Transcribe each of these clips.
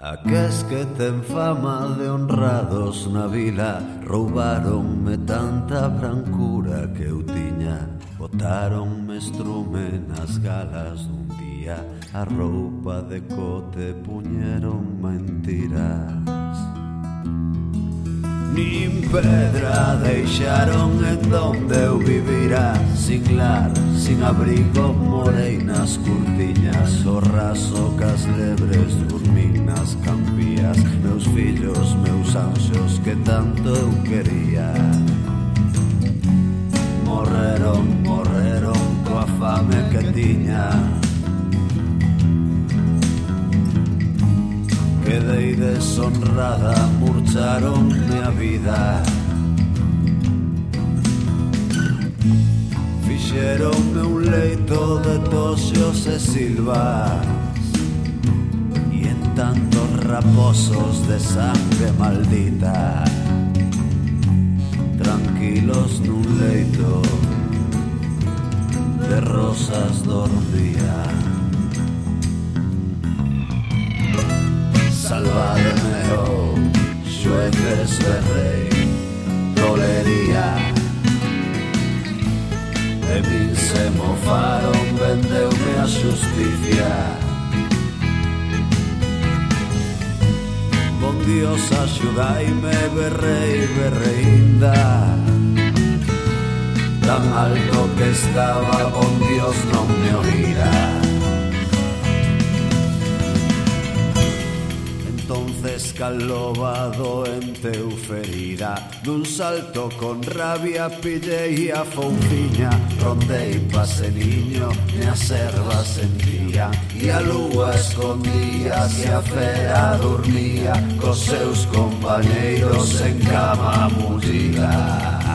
Aqués que ten fama de honrados na vila roubaronme tanta brancura que eu tiña. Botaronme estrume nas galas dun día, a roupa de cote puñeronme en tiras. Nin pedra deixaron en donde eu vivira, sin lar, sin abrigo, morei nas curtiñas, o raso cas lebres, dormín nas campías, meus fillos, meus anxos que tanto eu quería. Morreron, morreron coa fame que tiña. Quedei deshonrada, murcharonme a vida. Fixeronme un leito de toxos e silvas, e en tantos raposos de sangre maldita, tranquilos nun leito de rosas dormía. Salvademe, oh, xueces de rei, tolería. De min se mofaron, vendeume a xusticia. Bon Dios, axudaime, berrei, berreinda. Tan alto que estaba, bon Dios non me oirá. Entonces caloba doente eu ferida, dun salto con rabia pillei a fouciña, rondei pase niño, e a serva sentía, e a lúa escondía, e a fera dormía, cos seus compañeiros en cama mullida.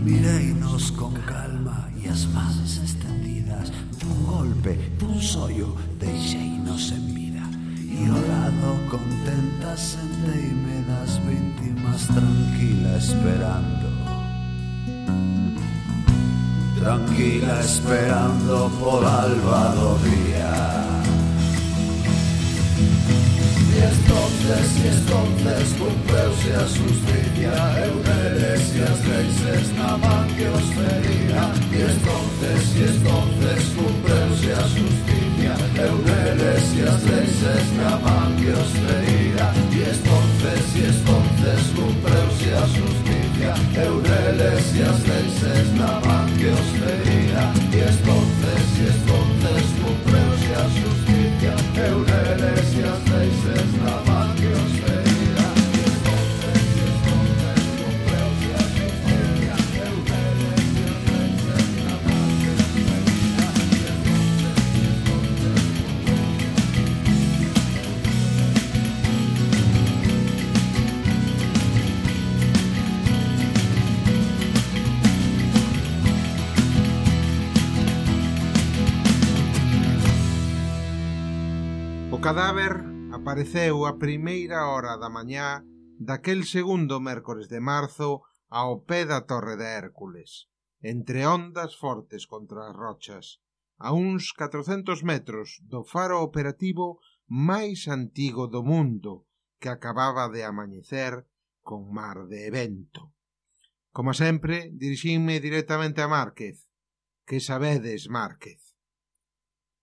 Mireinos con calma e as mans extendidas, dun golpe, dun sollo, deixeinos en vida. E ao lado contenta senteime das víctimas, tranquila esperando. Tranquila esperando por alba do día. Y entonces cumpreuse a justicia, eu neles e as leis na man que os fería. Y entonces cumpreuse a justicia, eu neles e as leis na man que os fería. Y entonces cumpreuse a justicia, eu neles e as leis na man que os fería. Y entonces cumpreuse a justicia, eu neles e as leis na man que os fería. O cadáver apareceu a primeira hora da mañá daquel segundo mércores de marzo ao pé da Torre de Hércules, entre ondas fortes contra as rochas, a uns 400 metros do faro operativo máis antigo do mundo, que acababa de amañecer con mar de vento. Como sempre, dirixinme directamente a Márquez. Que sabedes, Márquez?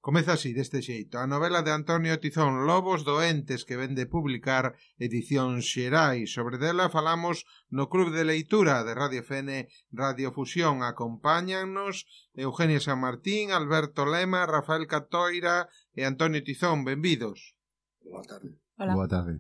Comeza así, deste xeito, a novela de Antonio Tizón, Lobos doentes, que vende publicar Edicións Xerais. Sobre dela falamos no Club de Leitura de Radio FN, Radio Fusión. Acompáñannos Eugenia San Martín, Alberto Lema, Rafael Catoira e Antonio Tizón. Benvidos. Boa tarde. Hola. Boa tarde.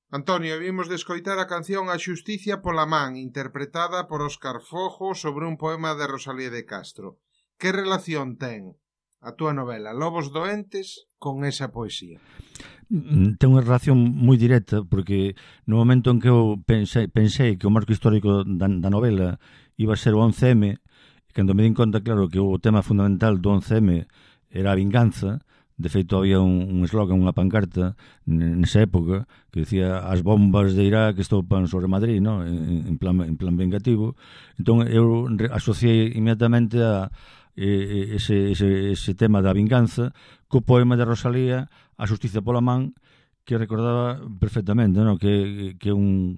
Antonio, vimos de escoitar a canción A Xusticia pola man, interpretada por Óscar Fojo sobre un poema de Rosalía de Castro. Que relación ten a túa novela Lobos doentes con esa poesía? Ten unha relación moi directa, porque no momento en que eu pensei que o marco histórico da novela iba a ser o 11M, e cando me din conta, claro, que o tema fundamental do 11M era a vinganza, De feito, había un eslogan, unha pancarta nesa época que decía as bombas de Irak estopan sobre Madrid, ¿no? En plan vengativo. Entón, eu asociei inmediatamente a ese tema da vinganza co poema de Rosalía A xustiza pola man, que recordaba perfectamente, ¿no? que un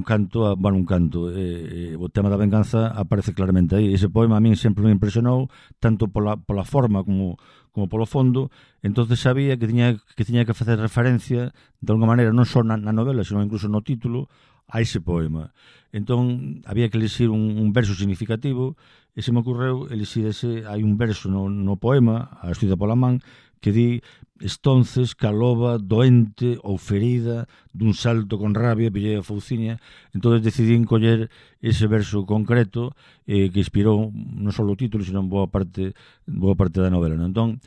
canto, un canto, o tema da venganza aparece claramente aí. Ese poema a min sempre me impresionou, tanto pola forma como polo fondo. Entonces sabía que tiña que facer referencia de alguma maneira, non só na novela, sino incluso no título, a ese poema. Entón había que elixir un verso significativo, e se me ocorreu elixir hai un verso no poema, A xustiza pola man, que di: estonces que a loba doente ou ferida dun salto con rabia pillei a fouciña. Entón decidí coller ese verso concreto que inspirou non só o título, sino boa parte da novela, non? Entón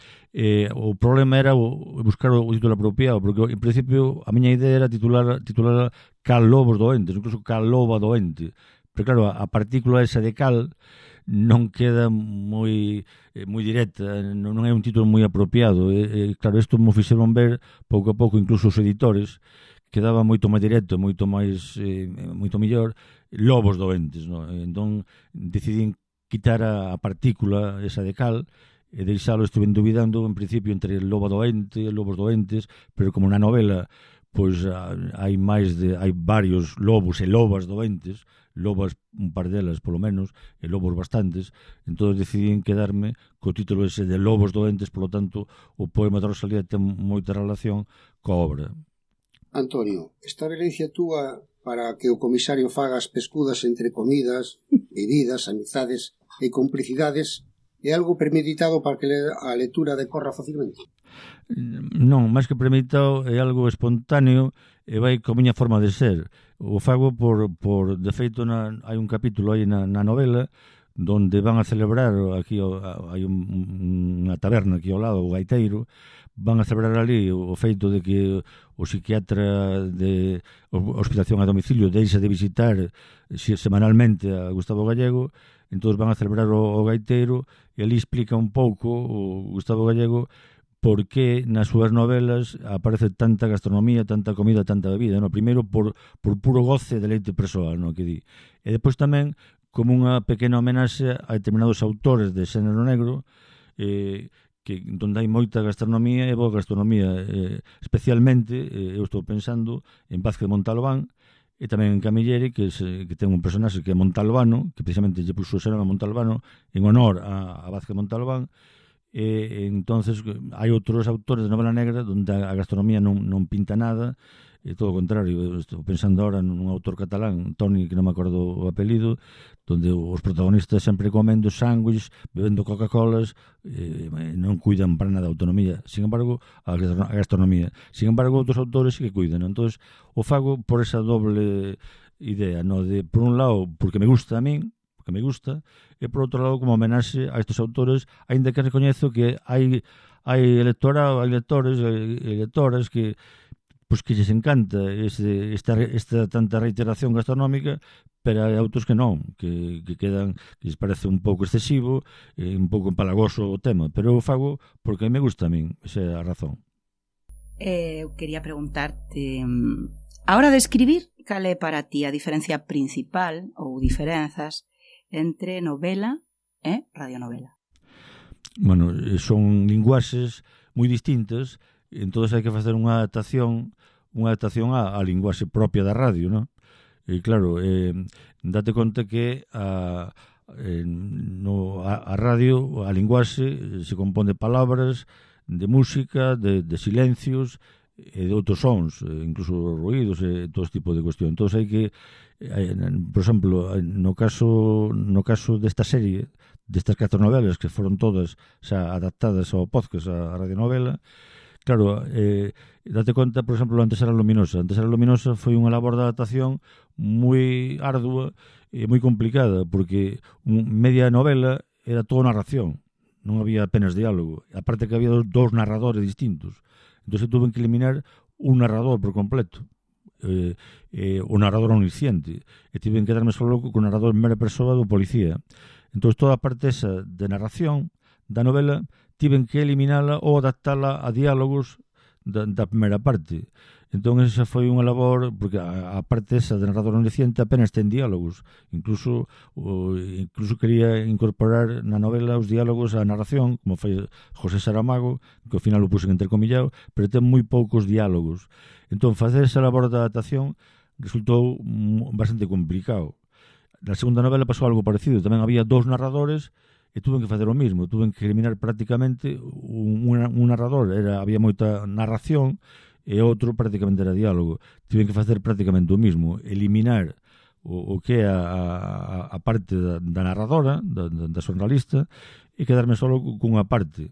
o problema era buscar o título apropiado, porque en principio a miña idea era titular Cal lobos doentes, incluso Cal loba doente, pero claro, a partícula esa de cal non queda moi directa, non é un título moi apropiado. Claro, isto me fixeron ver pouco a pouco, incluso os editores, quedaba moito máis directo, moito mellor, lobos doentes, no? Entón decidín quitar a partícula esa de cal e deixalo. Estuve dubidando en principio entre lobo doente e lobos doentes, pero como na novela pois hai varios lobos e lobas doentes, lobas un par delas polo menos, e lobos bastantes, entón decidín quedarme co título ese de Lobos doentes. Polo tanto, o poema de Rosalía ten moita relación coa obra. Antonio, esta violencia túa para que o comisario faga as pescudas entre comidas, bebidas, amizades e complicidades é algo premeditado para que a lectura decorra facilmente? Non, máis que premeditado, é algo espontáneo e vai coa miña forma de ser. O fago por de feito, hai un capítulo aí na novela donde van a celebrar, aquí hai unha taberna aquí ao lado, o Gaiteiro, van a celebrar ali o feito de que o psiquiatra de hospitalización a domicilio deixa de visitar semanalmente a Gustavo Gallego. Entón van a celebrar o Gaiteiro e ali explica un pouco o Gustavo Gallego por que nas súas novelas aparece tanta gastronomía, tanta comida, tanta bebida, no? Primeiro por puro goce de leite persoal, no? Que di. E depois tamén como unha pequena homenaxe a determinados autores de xénero negro, donde hai moita gastronomía e boa gastronomía, especialmente eu estou pensando en Vázquez Montalbán e tamén en Camilleri, que ten un personaxe que é Montalbano, que precisamente lle puxo o xénero a Montalbano en honor a Vázquez Montalbán. Entonces hai outros autores de novela negra onde a gastronomía non pinta nada, todo o contrario. Estou pensando ahora nun autor catalán, Toni, que non me acordo o apelido, onde os protagonistas sempre comendo sándwich, bebendo Coca-Colas, non cuidan para nada a autonomía, sin embargo a gastronomía. Sin embargo, outros autores sí que cuidan, non? Entón, o fago por esa doble idea, no? De, por un lado, porque me gusta a min, que me gusta, e por outro lado como homenaxe a estes autores, aínda que recoñezo que hai lectores e lectoras que lles encanta esta tanta reiteración gastronómica, pero hai outros que non, que quedan, que lles parece un pouco excesivo, un pouco empalagoso o tema, pero eu fago porque me gusta a min, esa é a razón. Eu quería preguntarte, a hora de escribir, cal é para ti a diferencia principal ou diferenzas entre novela e radionovela? Bueno, son linguaxes moi distintas, entón hai que facer unha adaptación á linguaxe propia da radio, non? E claro, date conta que a radio, a linguaxe se compón de palabras, de música, de silencios e de outros sons, incluso ruídos e todo este tipo de cuestión. Entón hai que, por exemplo, no caso desta serie, destas 4 novelas que foron todas xa adaptadas ao podcast, a radionovela, claro, date conta, por exemplo, Antes era luminosa. Antes era luminosa foi unha labor de adaptación moi ardua e moi complicada, porque media novela era toda narración, non había apenas diálogo, aparte que había dous narradores distintos. Entón se tuve que eliminar un narrador por completo, o narrador omnisciente, e tive que quedarme só con o narrador en primeira persoa do policía. Entón toda a parte esa de narración da novela tiven que eliminala ou adaptala a diálogos da primeira parte. Entón, esa foi unha labor, porque a parte esa de narrador omnisciente apenas ten diálogos. Incluso quería incorporar na novela os diálogos á narración, como foi José Saramago, que ao final o pusen entrecomillado, pero ten moi poucos diálogos. Entón, facer esa labor de adaptación resultou bastante complicado. Na segunda novela pasou algo parecido. Tamén había 2 narradores e tuven que facer o mismo. Tuven que eliminar prácticamente un narrador. Había moita narración e outro prácticamente era diálogo. Tiven que facer prácticamente o mismo. Eliminar o que é a parte da narradora, da xornalista, e quedarme solo cunha parte.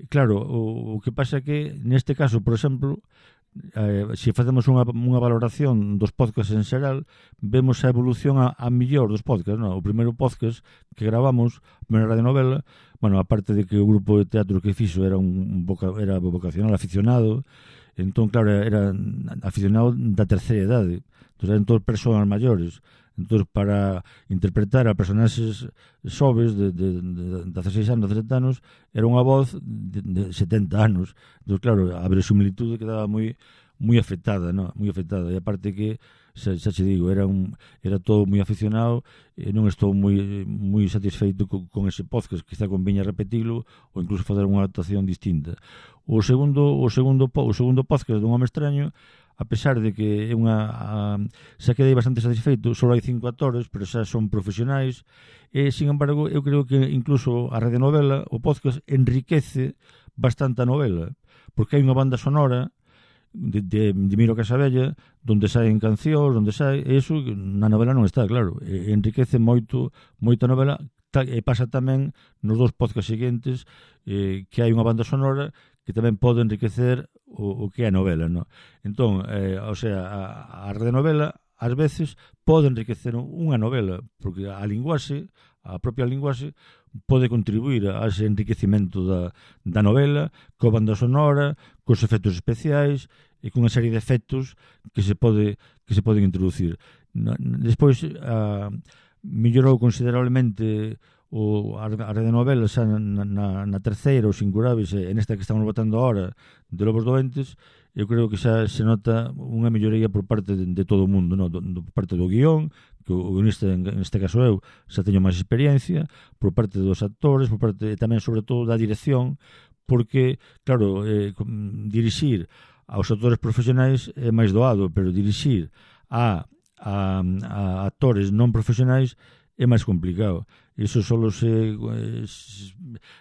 Claro, o que pasa é que neste caso, por exemplo, se facemos unha valoración dos podcasts en xeral, vemos a evolución a millor dos podcasts, non? O primeiro podcast que gravamos, a primeira radionovela, bueno, aparte de que o grupo de teatro que fixo era vocacional aficionado, entón, claro, era aficionado da terceira idade, entón eran todos persoas maiores. Entón, para interpretar a personaxes xoves de 16 anos, 17 anos, era unha voz de 70 anos. Entón, claro, a verosimilitude quedaba moi afectada, ¿no? Moi afectada. E aparte que, xa che digo, era todo moi aficionado e non estou moi satisfeito con ese podcast. Quizá conviña repetilo ou incluso fazer unha adaptación distinta. O segundo podcast dun home extraño, a pesar de que xa quedei bastante satisfeito, só hai 5 actores, pero xa son profesionais, e, sin embargo, eu creo que incluso a radionovela, o podcast, enriquece bastante a novela, porque hai unha banda sonora de Miro Casabella, donde saen cancións, e iso na novela non está, claro, enriquece moito a novela, e pasa tamén nos 2 podcasts seguintes, que hai unha banda sonora que tamén pode enriquecer o que é a novela, no? Entón, o sea, a radionovela ás veces pode enriquecer unha novela, porque a propia linguaxe pode contribuir a ese enriquecimento da novela, coa banda sonora, cos efectos especiais e cunha serie de efectos que se poden introducir. Despois, mellorou considerablemente a radionovela xa na terceira, os Incurables, e nesta que estamos botando ahora, de Lobos Doentes. Eu creo que xa se nota unha melloría por parte de todo o mundo, no? Por parte do guión, que o guionista, neste caso eu, xa teño máis experiencia, por parte dos actores, por parte tamén, sobre todo, da dirección, porque, claro, dirixir aos actores profesionais é máis doado, pero dirixir a actores non profesionais é máis complicado. Iso só se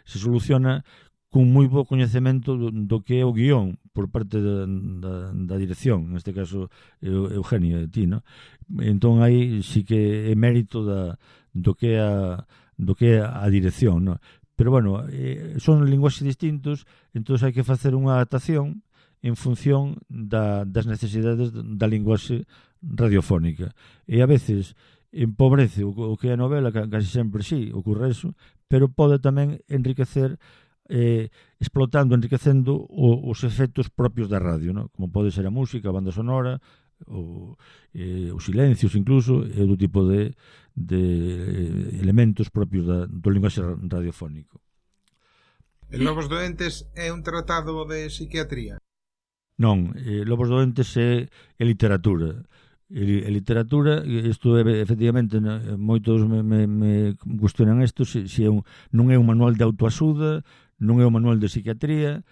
soluciona con moi bo coñecemento do que é o guión por parte da dirección, neste caso Eugenio, de ti, no? Entón aí sí que é mérito do que é a dirección, no? Pero bueno, son linguaxes distintos, entón hai que facer unha adaptación en función das necesidades da linguaxe radiofónica. E a veces empobrece o que é a novela, casi sempre sí, ocurre eso, pero pode tamén enriquecer, enriquecendo os efectos propios da radio, ¿no? Como pode ser a música, a banda sonora, os silencios incluso, e outro tipo de elementos propios do linguaxe radiofónico. El Lobos Doentes é un tratado de psiquiatría? Non, Lobos Doentes é literatura. E literatura, isto efectivamente moitos me cuestionan isto, se non é un manual de autoaxuda, non é un manual de psiquiatría,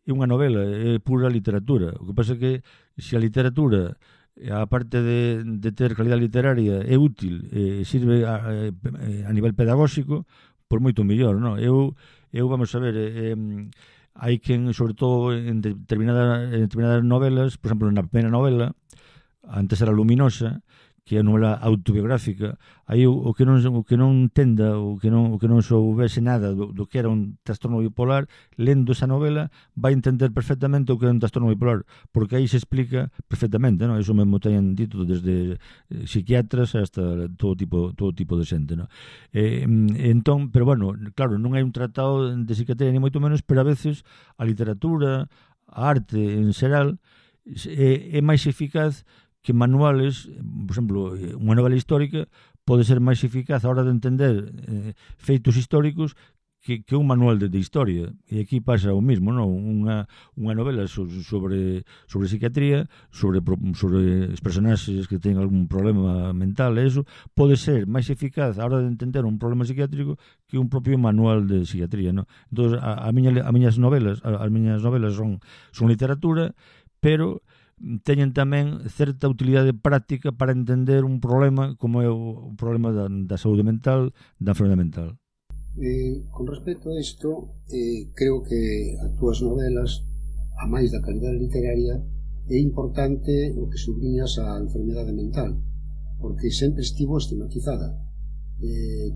é unha novela, é pura literatura. O que pasa é que se a literatura, a parte de ter calidad literaria, é útil, sirve a nivel pedagóxico, por moito mellor, non? Eu vamos a ver, hai quen, sobre todo en determinadas novelas, por exemplo, na primeira novela, antes era Luminosa, que é a novela autobiográfica, aí o que non entenda, o que non soubese nada do que era un trastorno bipolar, lendo esa novela vai entender perfectamente o que é un trastorno bipolar, porque aí se explica perfectamente, non? Iso mesmo teñen dito desde psiquiatras hasta todo tipo de xente, non? Entón, pero bueno, claro, non hai un tratado de psiquiatría ni moito menos, pero a veces a literatura, a arte en xeral é máis eficaz que manuales. Por exemplo, unha novela histórica pode ser máis eficaz a hora de entender feitos históricos que un manual de historia, e aquí pasa o mismo, non? Unha novela sobre psiquiatría, sobre os personaxes que teñen algún problema mental, e eso pode ser máis eficaz a hora de entender un problema psiquiátrico que un propio manual de psiquiatría, non? Entón, as miñas novelas son literatura, pero teñen tamén certa utilidade práctica para entender un problema como é o problema da saúde mental, da enfermedade mental. Con respecto a isto, creo que as túas novelas, a máis da calidade literaria, é importante o que subliñas a enfermedade mental, porque sempre estivo estigmatizada.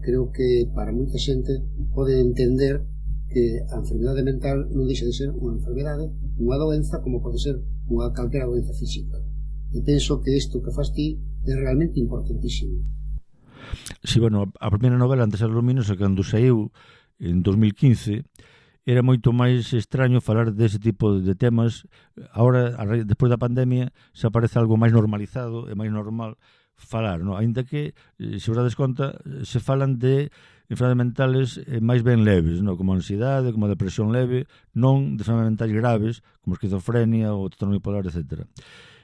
Creo que para moita xente pode entender que a enfermedade mental non deixa de ser unha enfermedade, unha doenza, como pode ser unha calquera doenza física. E penso que isto que faz ti é realmente importantísimo. Si, bueno, a primeira novela, Antes era luminosa, cando saiu en 2015, era moito máis extraño falar dese tipo de temas. Agora, despois da pandemia, se aparece algo máis normalizado e máis normal falar, non? Ainda que, se vos dades conta, se falan de enfermedades mentales máis ben leves, non? Como a ansiedade, como a depresión leve, non de enfermedades mentais graves, como a esquizofrenia ou trastorno bipolar, etc.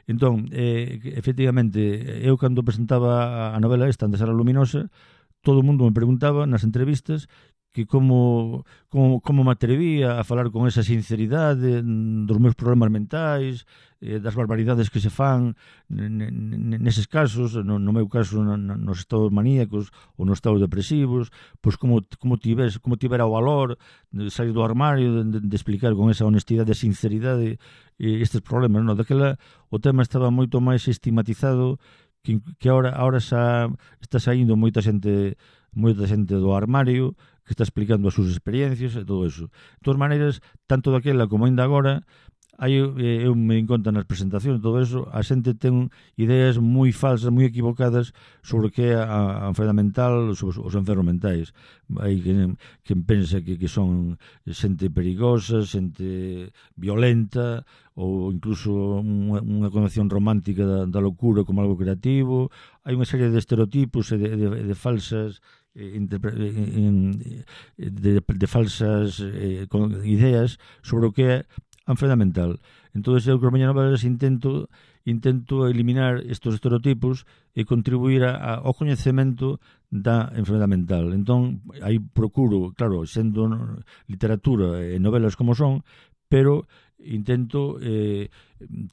Entón, efectivamente, eu cando presentaba a novela esta, Antes era luminosa, todo o mundo me preguntaba nas entrevistas que como me atrevía a falar con esa sinceridade dos meus problemas mentais, das barbaridades que se fan neses casos, no meu caso nos estados maníacos ou nos estados depresivos, pois como tivera o valor de sair do armario, de explicar con esa honestidade e sinceridade estes problemas, non? Daquela o tema estaba moito máis estigmatizado que ahora xa está saindo moita xente do armario que está explicando as súas experiencias e todo eso. De todas maneiras, tanto daquela como ainda agora, eu me din conta nas presentacións e todo eso, a xente ten ideas moi falsas, moi equivocadas sobre o que é a enfermedade mental, sobre os enfermos mentais. Hai quen pensa que son xente perigosa, xente violenta, ou incluso unha concepción romántica da locura como algo creativo. Hai unha serie de estereotipos e de falsas de falsas ideas sobre o que é a enfermedade mental. Entón, eu con as miñas novelas intento eliminar estes estereotipos e contribuir ao coñecemento da enfermedade mental. Entón, aí procuro, claro, sendo literatura e novelas como son, pero intento,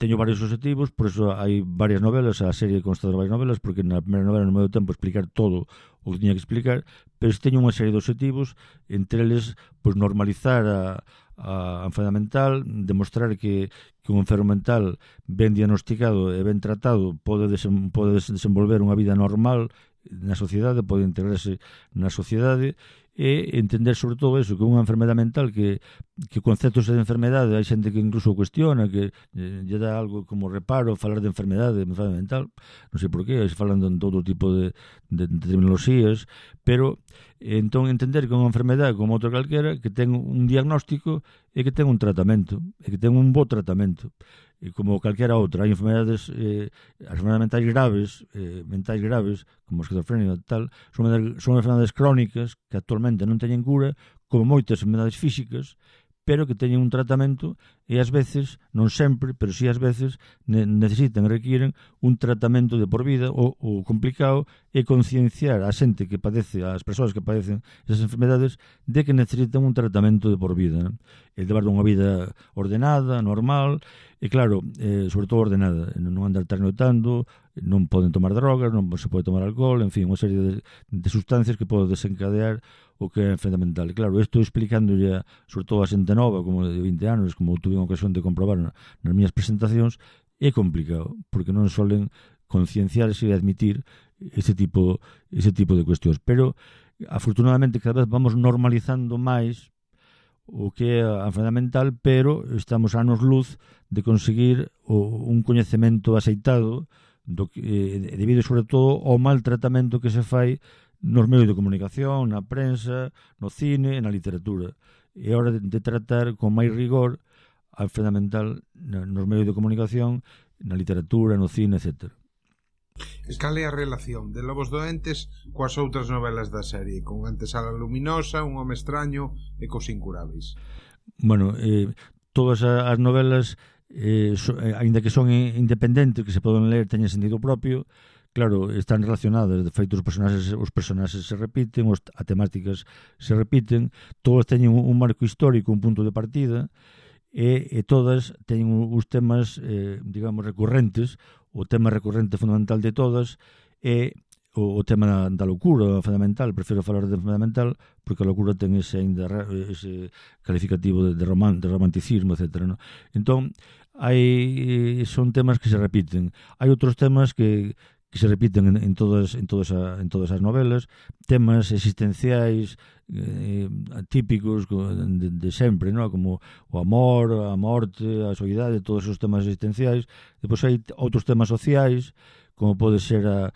teño varios objetivos, por eso hai varias novelas, a serie consta de varias novelas, porque na primeira novela non me deu tempo a explicar todo o que tiña que explicar, pero teño unha serie de objetivos, entre eles, pues, normalizar a enfermedade mental, demostrar que un enfermo mental ben diagnosticado e ben tratado pode desenvolver unha vida normal na sociedade, pode integrarse na sociedade, e entender sobre todo eso, que unha enfermedade mental que conceptos de enfermedade hai xente que incluso cuestiona, que lle dá algo como reparo falar de enfermedade mental, non sei por qué, se falan de todo tipo de terminoloxías, pero entón entender que unha enfermedade como outra calquera, que ten un diagnóstico e que ten un tratamento, e que ten un bo tratamento, e como calquera outra. Hai enfermedades, as enfermedades mentais graves, como a esquizofrenia e tal, son enfermedades crónicas que actualmente non teñen cura, como moitas enfermedades físicas, pero que teñen un tratamento e ás veces, non sempre, pero si ás veces necesitan e requieren un tratamento de por vida. O complicado é concienciar a xente que padece, as persoas que padecen esas enfermedades, de que necesitan un tratamento de por vida, non? E levar unha vida ordenada, normal, e claro, sobre todo ordenada, non andar trasnoitando, non poden tomar drogas, non se pode tomar alcohol, en fin, unha serie de sustancias que poden desencadear o que é a enfermedade mental. E claro, isto explicándolle sobre todo a xente nova, como de 20 anos, como tuve a ocasión de comprobar nas miñas presentacións, é complicado, porque non solen concienciarse e admitir ese tipo de cuestións. Pero, afortunadamente, cada vez vamos normalizando máis o que é a enfermedade mental, pero estamos a anos luz de conseguir un coñecemento aceitado debido sobre todo ao mal tratamento que se fai nos medios de comunicación, na prensa, no cine e na literatura. É hora de tratar con máis rigor a enfermedade mental nos medios de comunicación, na literatura, no cine, etc. Cal é a relación de Lobos Doentes coas outras novelas da serie, con Antesala Luminosa, Un home extraño e Cos incuráveis? Bueno, todas as novelas, aínda que son independentes, que se poden ler, teñen sentido propio, claro, están relacionadas. De feito, os personaxes se repiten, as temáticas se repiten, todas teñen un marco histórico, un punto de partida, e todas teñen os temas, digamos, recurrentes. O tema recurrente fundamental de todas é o tema da locura fundamental. Prefiro falar de fundamental porque a locura ten ese calificativo de romanticismo, etc. ¿no? Entón, son temas que se repiten. Hai outros temas que se repiten en todas as novelas, temas existenciais típicos de sempre, ¿no? Como o amor, a morte, a soidade, todos os temas existenciais. Depois hai outros temas sociais, como pode ser a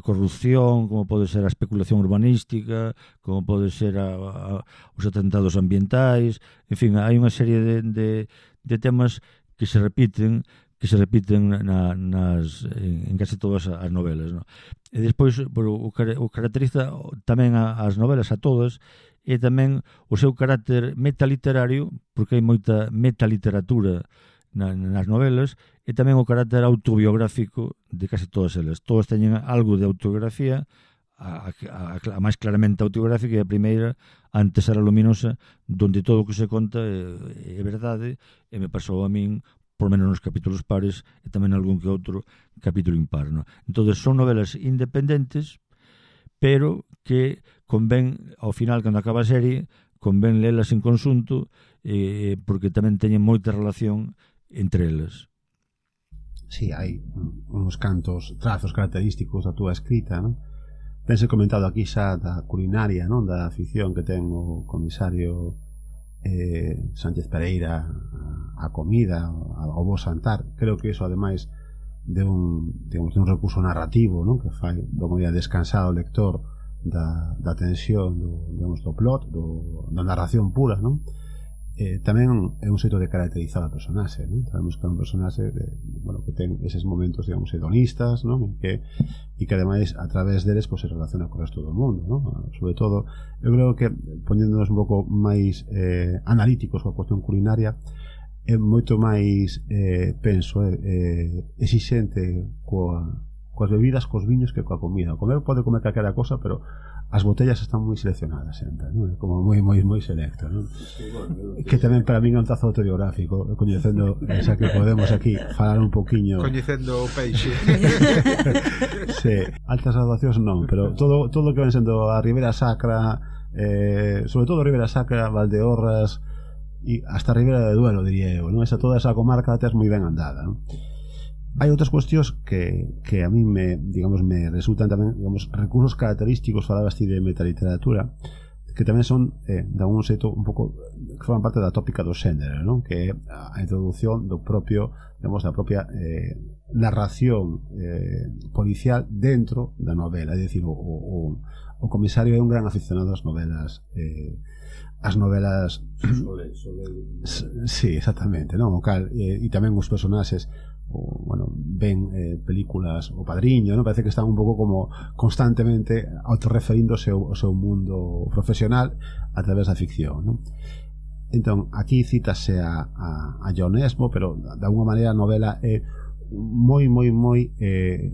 corrupción, como pode ser a especulación urbanística, como pode ser os atentados ambientais. En fin, hai unha serie de temas que se repiten en case todas as novelas, ¿no? E despois, o caracteriza tamén as novelas, a todas, e tamén o seu carácter metaliterario, porque hai moita metaliteratura nas novelas, e tamén o carácter autobiográfico de case todas elas. Todas teñen algo de autobiografía, a máis claramente autobiográfica, e a primeira, Antesala Luminosa, donde todo o que se conta é verdade, e me pasou a min por menos nos capítulos pares e tamén algún que outro capítulo impar, ¿no? Entón, son novelas independentes, pero que convén, ao final, cando acaba a serie, convén lelas en conxunto, porque tamén teñen moita relación entre elas. Sí, hai uns cantos trazos característicos da túa escrita, non? Tense comentado aquí xa da culinaria, non? Da afición que ten o comisario Sánchez Pereira a comida, ao bo santar. Creo que iso, ademais de un recurso narrativo, non? Que fai do modo descansar o lector da tensión do plot, da narración pura, non? Tamén é un xeito de caracterizar a personaxe, non? Sabemos que é un personaxe que ten eses momentos, digamos, hedonistas, non? E que ademais a través deles se relaciona co resto do mundo, non? Sobre todo, eu creo que poñéndonos un pouco máis analíticos coa cuestión culinaria, é moito máis, penso, exixente coas bebidas, cos viños, que coa comida. O comer pode comer calquera cosa, pero as botellas están moi seleccionadas sempre, non? Como moi selecto, non? Sí, bueno, que tamén para min é un trazo autobiográfico, coñecendo, xa que podemos aquí falar un poquinho, coñecendo o peixe. Sí, altas graduacións non, pero todo que ven sendo a Ribera Sacra, sobre todo a Ribera Sacra, Valdeorras e hasta a Ribera de Duero, diría eu, non? Toda esa comarca tes moi ben andada, non? Hai outras cuestións que a mí me resultan tamén, digamos, recursos característicos. Falabas ti de metaliteratura, que tamén son de algún xeito un pouco que forman parte da tópica do xénero, non? Que é a introducción do propio, digamos, da propia narración policial dentro da novela. É dicir, o comisario é un gran aficionado ás novelas, sí, exactamente, non? O cal, e tamén os personaxes ven películas O Padriño, non? Parece que están un pouco como constantemente autorreferíndose ao seu mundo profesional a través da ficción, non? Entón, aquí cítase a John Esmo, pero de alguma maneira a novela é moi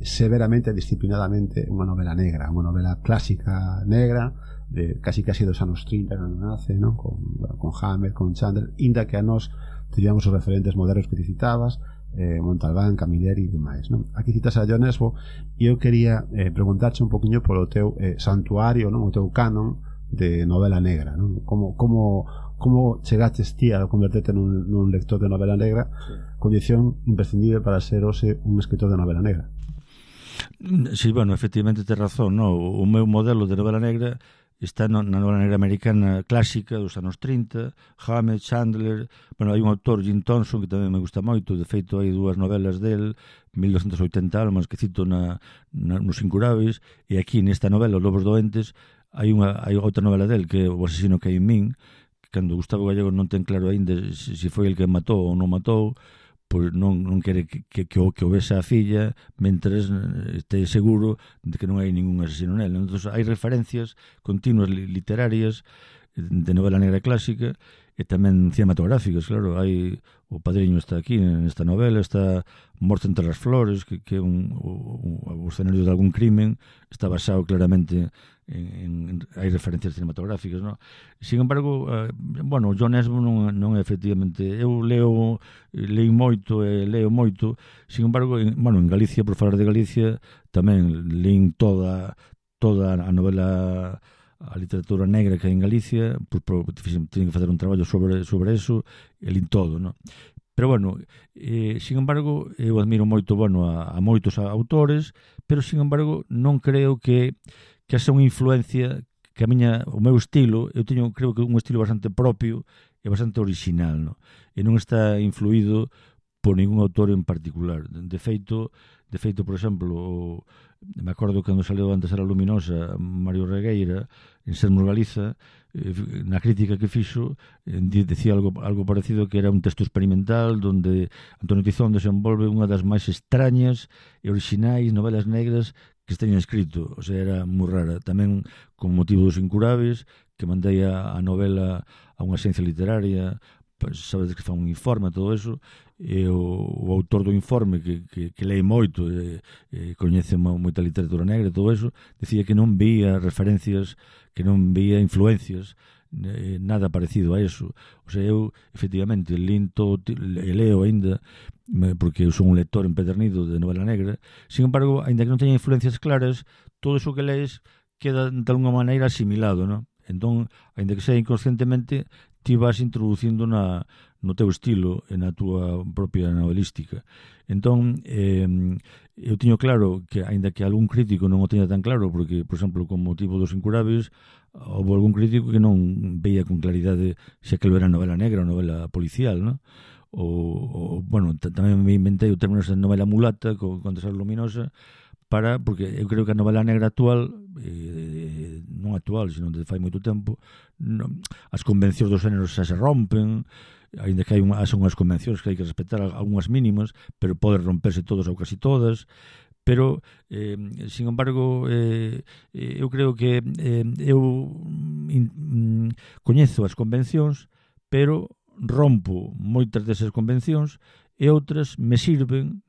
severamente, disciplinadamente unha novela negra, unha novela clásica negra de casi dos anos 30 cando nace, non? Con Hammer, con Chandler, inda que a nós teníamos os referentes modernos que te citabas, Montalbán, Camilleri e demais, non? Aquí citas a John Esmo, e eu quería preguntarche un poquinho polo teu santuario, non? O teu canon de novela negra, non? Como chegaches ti a converterte nun lector de novela negra, condición imprescindible para ser hoxe un escritor de novela negra? Sí, bueno, efectivamente tes razón, no? O meu modelo de novela negra está na novela negra americana clásica dos anos 30, Hammett, Chandler. Bueno, hai un autor, Jim Thompson, que tamén me gusta moito. De feito, hai dúas novelas del, 1280 almas, que cito nos Incuráveis, e aquí nesta novela, Os Lobos Doentes, hai outra novela del, que é O asesino que hai en min, que cando Gustavo Gallego non ten claro aínda se foi el que matou ou non matou, pois non quere que o vese a filla mentres este seguro de que non hai ningún asesino nel. Entón, hai referencias continuas literarias de novela negra clásica e tamén cinematográficas, claro. Hai O Padriño está aquí nesta novela, está Morte entre as flores, que é o escenario de algún crimen, está basado claramente hai referencias cinematográficas, non? Sin embargo, John Esmond non é efectivamente, eu leio moito e leo moito. Sin embargo, en Galicia, por falar de Galicia, tamén leín toda a novela, a literatura negra que hai en Galicia, tienen que facer un traballo sobre eso, e lín todo, non? Pero, sin embargo, eu admiro moito, a moitos autores, pero, sin embargo, non creo que haxa unha influencia que o meu estilo, eu creo que un estilo bastante propio e bastante original, non? E non está influído por ningún autor en particular. De feito, por exemplo, me acordo cando saleu antes Era Luminosa Mario Regueira en Sermos Galiza, na crítica que fixo, decía algo parecido, que era un texto experimental donde Antonio Tizón desenvolve unha das máis extrañas e orixinais novelas negras que se teñan escrito. O sea, era moi rara. Tamén con motivo dos Incurables, que mandei a novela a unha agencia literaria, pues, sabedes que fa un informe, todo eso, e o autor do informe que lee moito, coñece moita literatura negra e todo eso, decía que non veía referencias, que non veía influencias, nada parecido a eso. O sea, eu efectivamente lín todo e leo aínda, porque eu son un lector empedernido de novela negra. Sin embargo, aínda que non teña influencias claras, todo eso que lees queda de alguna maneira asimilado, non? Entón, aínda que sea inconscientemente, ti vas introducindo no teu estilo e na túa propia novelística. Entón, eu teño claro que, aínda que algún crítico non o teña tan claro, porque, por exemplo, con motivo dos Incurables, houve algún crítico que non veía con claridade se aquilo era novela negra ou novela policial, non? Tamén me inventei o término de novela mulata con Era Luminosa, porque eu creo que a novela negra actual, non actual, sino de fai moito tempo, as convencións dos géneros xa se rompen, aínda que son unhas convencións que hai que respetar algunhas mínimas, pero poden romperse todas ou casi todas. Pero, sin embargo, eu creo que eu coñezo as convencións, pero rompo moitas desas convencións e outras me sirven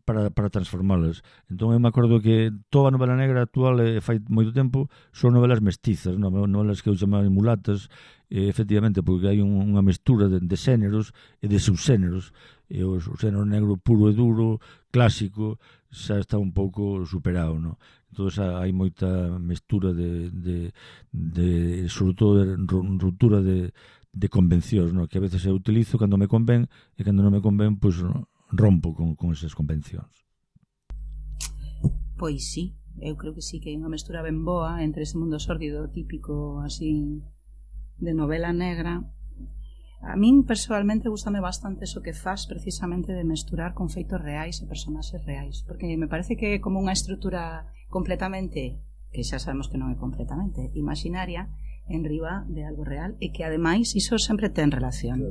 para transformalas. Entón, eu me acordo que toda a novela negra actual, fai moito tempo, son novelas mestizas, novelas que eu chamaba mulatas, efectivamente, porque hai unha mestura de xéneros e de subxéneros. E o xénero negro puro e duro, clásico, xa está un pouco superado, non? Entón, hai moita mestura sobre todo, de ruptura de convencións, non? Que a veces eu utilizo cando me convén, e cando non me convén, pois rompo con esas convencións. Pois sí, eu creo que sí, que hai unha mestura ben boa entre ese mundo sórdido típico así de novela negra. A min persoalmente gustame bastante eso que faz, precisamente, de mesturar con feitos reais e personaxes reais, porque me parece que é como unha estrutura completamente, que xa sabemos que non é completamente imaginaria, en riba de algo real, e que ademais iso sempre ten relación,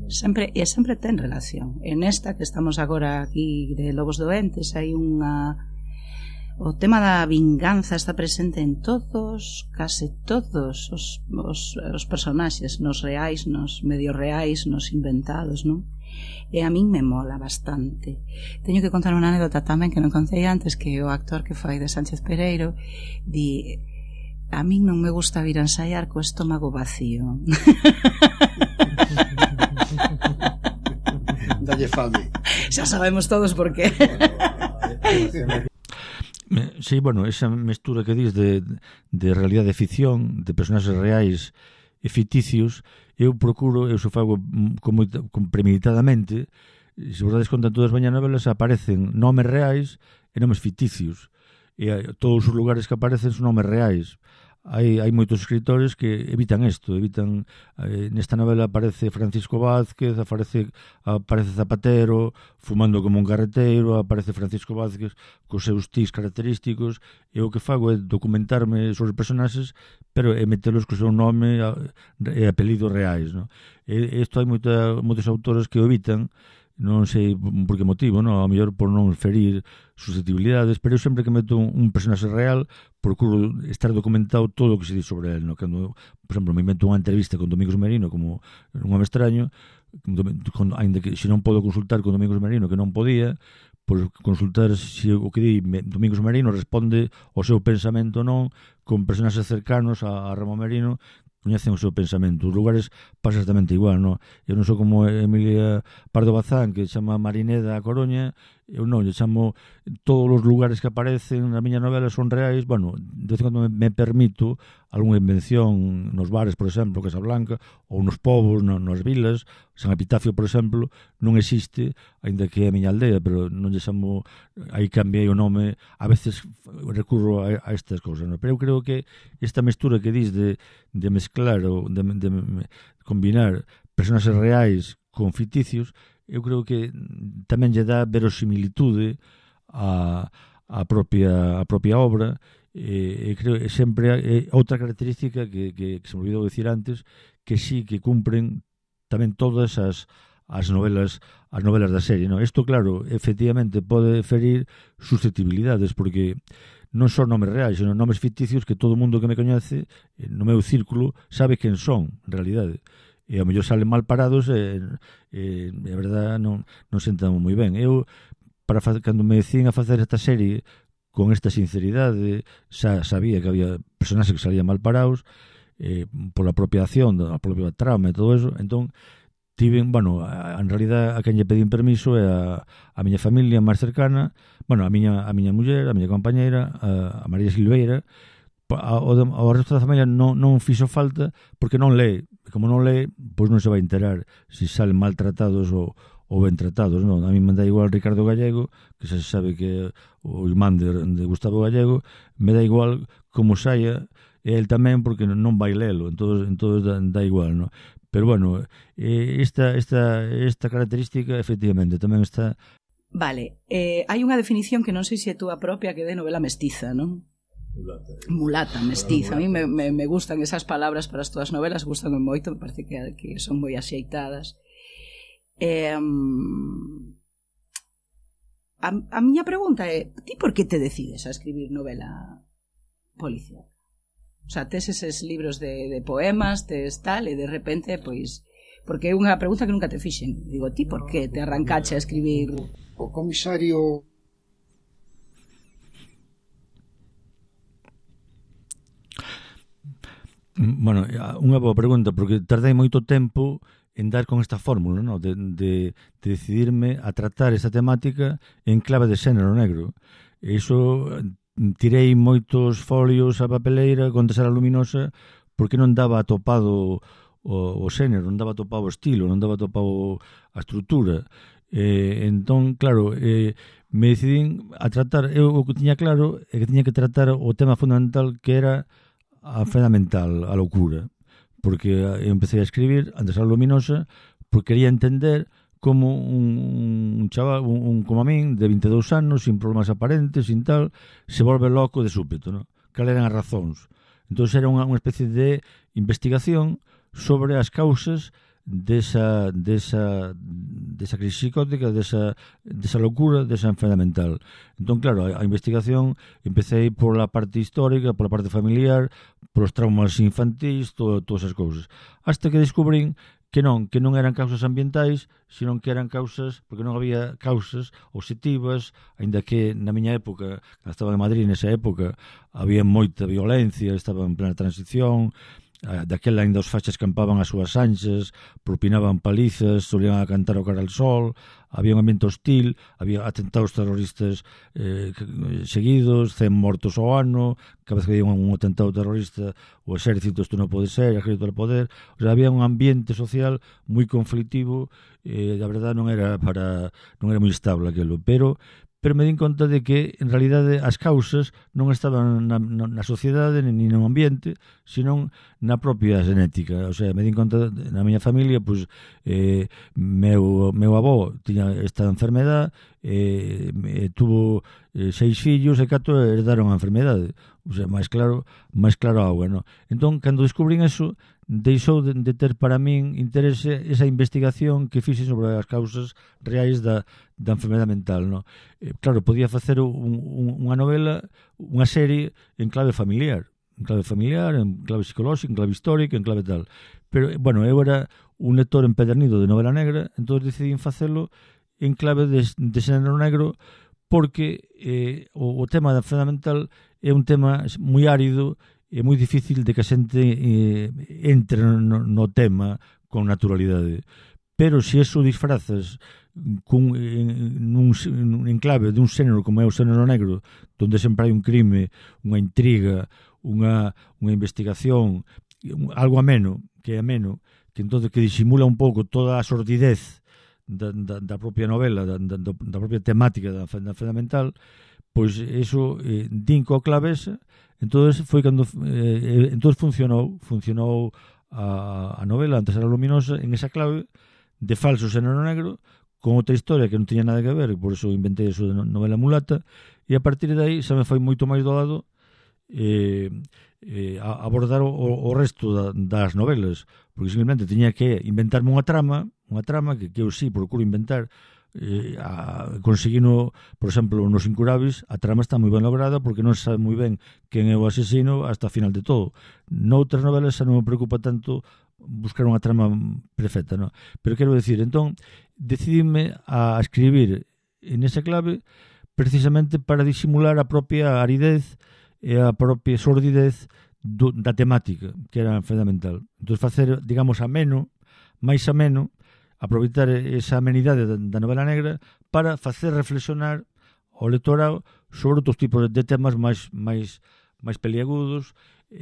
sempre ten relación. En esta que estamos agora aquí de Lobos Doentes, hai o tema da vinganza está presente en case todos os personaxes, nos reais, nos medio reais, nos inventados, non? E a min me mola bastante. Teño que contar unha anécdota tamén que non contei antes, que o actor que fai de Sánchez Pereiro di: a min non me gusta vir a ensaiar co estómago vacío. Dalle fame. Xa sabemos todos por qué. Sí, esa mestura que dis de realidade e ficción, de personaxes reais e ficticios, eu só fago premeditadamente. Se vos dades conta, en todas as miñas novelas aparecen nomes reais e nomes ficticios, e todos os lugares que aparecen son nomes reais. hai moitos escritores que evitan isto, nesta novela aparece Francisco Vázquez, aparece Zapatero fumando como un carreteiro, aparece Francisco Vázquez cos seus tics característicos, e o que fago é documentarme sobre os personaxes, pero é metelos co seu nome e apelidos reais, no? E isto hai moitos autores que o evitan, non sei por que motivo, no? A mellor por non ferir susceptibilidades, pero eu sempre que meto un personaxe real procuro estar documentado todo o que se di sobre él, no? Cando, por exemplo, me invento unha entrevista con Domingos Merino como un home extraño, ainda que se non podo consultar con Domingos Merino, que non podía, por consultar se o que di Domingos Merino responde ao seu pensamento ou non, con personaxes cercanos a Ramón Merino coñecen o seu pensamento. Os lugares pasa exactamente igual, no? Eu non sou como Emilia Pardo Bazán, que chama Marineda a Coruña, eu non, lle chamo todos os lugares que aparecen na miña novela son reais. Bueno, de vez en cando me permito algunha invención nos bares, por exemplo, Casablanca, ou nos povos, nas vilas. San Epitafio, por exemplo, non existe, aínda que é a miña aldea, pero non lle chamo, aí cambiei o nome. A veces recurro a estas cousas, no? Pero eu creo que esta mestura que dis de mezclar ou de combinar personaxes reais con ficticios, eu creo que tamén lle dá verosimilitude a propia obra, e creo que sempre é outra característica que se me olvidou dicir antes, que sí que cumpren tamén todas as novelas da serie, no? Isto, claro, efectivamente pode ferir susceptibilidades, porque non son nomes reais, senón nomes ficticios que todo o mundo que me coñece no meu círculo sabe quen son, en realidade. E ao mellor salen mal parados e a verdade non sentan moi ben. Eu, cando me decín a facer esta serie con esta sinceridade, xa sabía que había personaxes que salían mal parados pola propia acción, a propia trama e todo eso. Entón, en realidad a quen lle pedín permiso é a miña familia máis cercana, a miña muller, a miña compañeira, a María Silveira. Ao resto da familia non fixo falta, porque non lee. Como non lee, pois non se vai enterar se salen maltratados ou ben tratados, non? A mí me dá igual Ricardo Gallego, que se sabe que o irmán de Gustavo Gallego, me dá igual como saia, e el tamén, porque non vai lelo, entón dá igual, non? Pero bueno, esta característica efectivamente tamén está. Vale, hai unha definición que non sei se é túa propia, que é de novela mestiza, non? Mulata, mestiza. A mí me gustan esas palabras para as túas novelas, gustan moito, me parece que son moi axeitadas. A miña pregunta é: ti por que te decides a escribir novela policial? O sea, tes eses libros de poemas, tes tal, e de repente, pois, porque é unha pregunta que nunca te fixen. Digo, ti por que te arrancache a escribir? O comisario Bueno, unha boa pregunta, porque tardei moito tempo en dar con esta fórmula, ¿no? de decidirme a tratar esta temática en clave de xénero negro. E iso, tirei moitos folios a papeleira con Tesara Luminosa, porque non daba atopado o xénero, non daba atopado o estilo, non daba atopado a estrutura. Entón, claro, me decidín a tratar, eu o que tiña claro é que tiña que tratar o tema fundamental, que era a enfermedade mental, a loucura, porque eu empecé a escribir antes a Luminosa porque quería entender como un chaval, como a min, de 22 anos, sin problemas aparentes, sin tal, se volve loco de súpeto, ¿no? Cal eran as razóns. Entón era unha especie de investigación sobre as causas desa crisis psicótica, desa locura, desa enfermedade mental. Entón, claro, a investigación empecé por la parte histórica, por la parte familiar, por os traumas infantís, todas as cousas. Hasta que descubrín que non eran causas ambientais, sino que eran causas, porque non había causas objetivas, aínda que na miña época, cando estaba en Madrid nesa época, había moita violencia, estaba en plena transición. Daquela ainda os fachas campaban as súas anchas, propinaban palizas, solían a cantar o cara al sol, había un ambiente hostil, había atentados terroristas seguidos, 100 mortos ao ano, cada vez que había un atentado terrorista o exército, isto non pode ser, o exército do poder. O sea, había un ambiente social moi conflictivo, a verdade non era moi estable aquilo, pero pero me din conta de que en realidade as causas non estaban na sociedade nin no ambiente, sino na propia genética. O sea, me din conta na miña familia, pois meu avó tiña esta enfermedade, tuvo 6 fillos e 4 herdaron a enfermedade. O sea, máis claro a auga, non? Entón, cando descubrín eso, deixou de ter para min interese esa investigación que fixe sobre as causas reais da enfermedade mental, non? Claro, podía facer unha novela, unha serie en clave familiar, en clave psicolóxica, en clave histórica, en clave tal. Pero, bueno, eu era un lector empedernido de novela negra, entón decidí facelo en clave de xénero negro, porque o tema da enfermedade mental é un tema moi árido, é moi difícil de que a xente entre no tema con naturalidade. Pero se eso disfrazas en clave dun xénero como é o xénero negro, donde sempre hai un crime, unha intriga, unha investigación, algo ameno, que entonces que disimula un pouco toda a sordidez da propia novela, da propia temática da enfermedade mental, pois eso din coa clave. Entonces foi cando entonces funcionou a novela Antes era luminosa en esa clave de falso xénero negro, con outra historia que non tiña nada que ver, por eso inventei eso de novela mulata, e a partir de aí xa me foi moito máis doado abordar o resto das novelas, porque simplemente tiña que inventarme unha trama que eu sí procuro inventar, conseguino, por exemplo, nos Incurables, a trama está moi ben lograda porque non se sabe moi ben quen é o asesino hasta a final de todo. Noutras novelas xa non me preocupa tanto buscar unha trama perfecta, non? Pero quero decir, entón, decidime a escribir en esa clave precisamente para disimular a propia aridez e a propia sordidez da temática, que era a enfermedade mental. Entón, facer, digamos, máis ameno, aproveitar esa amenidade da novela negra para facer reflexionar ao lectorado sobre outros tipos de temas máis peliagudos,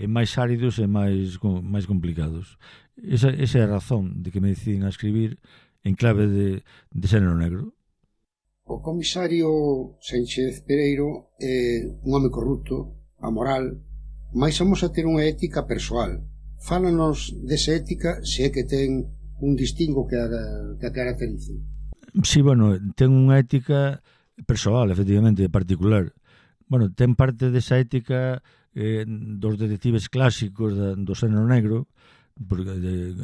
máis áridos e máis complicados. Esa é a razón de que me deciden a escribir en clave de xénero negro. O comisario Sánchez Pereiro é un home corrupto, amoral, mais vamos a ter unha ética persoal. Fálanos desa ética, se é que ten un distingo que a caracterice. Sí, bueno, ten unha ética persoal, efectivamente, particular. Bueno, ten parte desa ética dos detectives clásicos do xénero negro, de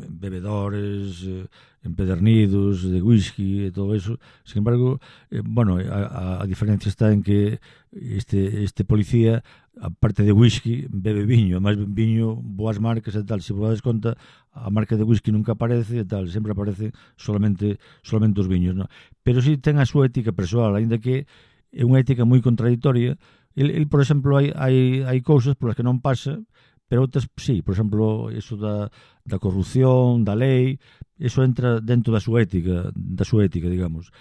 bebedores, empedernidos, de whisky e todo eso. Sin embargo, bueno, a diferencia está en que este policía, aparte de whisky, bebe viño, además viño, boas marcas e tal. Se vos dades conta, a marca de whisky nunca aparece e tal, sempre aparece solamente os viños, ¿no? Pero sí ten a súa ética persoal, ainda que é unha ética moi contradictoria. El por exemplo, hai cousas polas que non pasa, pero outras sí, por exemplo, eso da corrupción, da lei, eso entra dentro da súa ética, digamos.